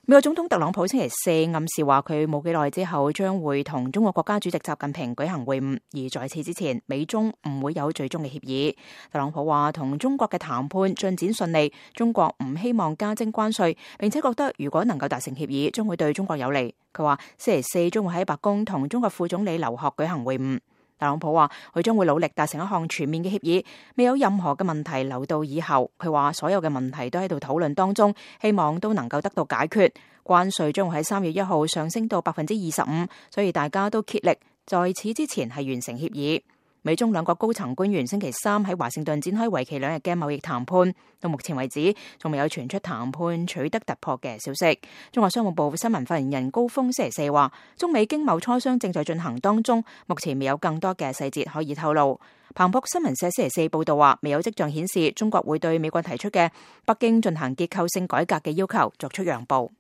美國總統特朗普星期四暗示話，佢冇幾耐之後將會同中國國家主席習近平舉行會晤，而在此之前，美中唔會有最終嘅協議。特朗普話，同中國嘅談判進展順利，中國唔希望加徵關稅，並且覺得如果能夠達成協議，將會對中國有利。佢話星期四將會喺白宮同中國副總理劉鶴舉行會晤。特朗普話佢將會努力達成一項全面嘅協議，未有任何嘅問題留到以後。佢話所有嘅問題都喺度討論當中，希望都能夠得到解決。關稅將會喺3月1號上升到25%，所以大家都竭力在此之前係完成協議。美中兩國高層官員星期三喺華盛頓展開為期2日嘅貿易談判，到目前為止仲未有傳出談判取得突破嘅消息。中國商務部新聞發言人高峰星期四話，中美經貿磋商正在進行當中，目前未有更多嘅細節可以透露。彭博新聞社星期四報道話，未有跡象顯示中國會對美國提出嘅北京進行結構性改革嘅要求作出讓步。